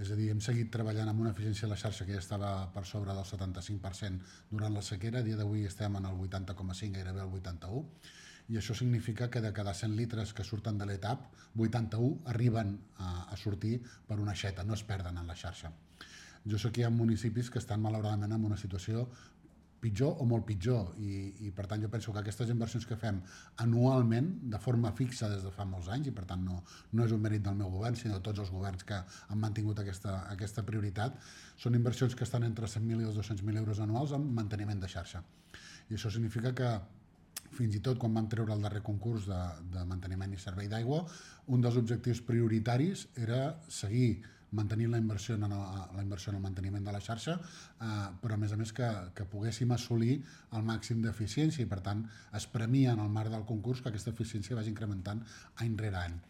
És a dir, hem seguit treballant amb una eficiència de la xarxa que ja estava per sobre del 75% durant la sequera. A dia d'avui estem en el 80,5, gairebé el 81, i això significa que de cada 100 litres que surten de l'ETAP, 81 arriben a sortir per una aixeta, no es perden en la xarxa. Jo sé que hi ha municipis que estan malauradament en una situació pitjor o molt pitjor, i per tant jo penso que aquestes inversions que fem anualment de forma fixa des de fa molts anys, i per tant no és un mèrit del meu govern sinó de tots els governs que han mantingut aquesta prioritat, són inversions que estan entre 100.000 i els 200.000 euros anuals en manteniment de xarxa, i això significa que fins i tot quan vam treure el darrer concurs de manteniment i servei d'aigua, un dels objectius prioritaris era seguir mantenint la inversió en el manteniment de la xarxa, però a més que poguéssim assolir el màxim d'eficiència, i per tant es premia en el marc del concurs que aquesta eficiència vagi incrementant any rere any.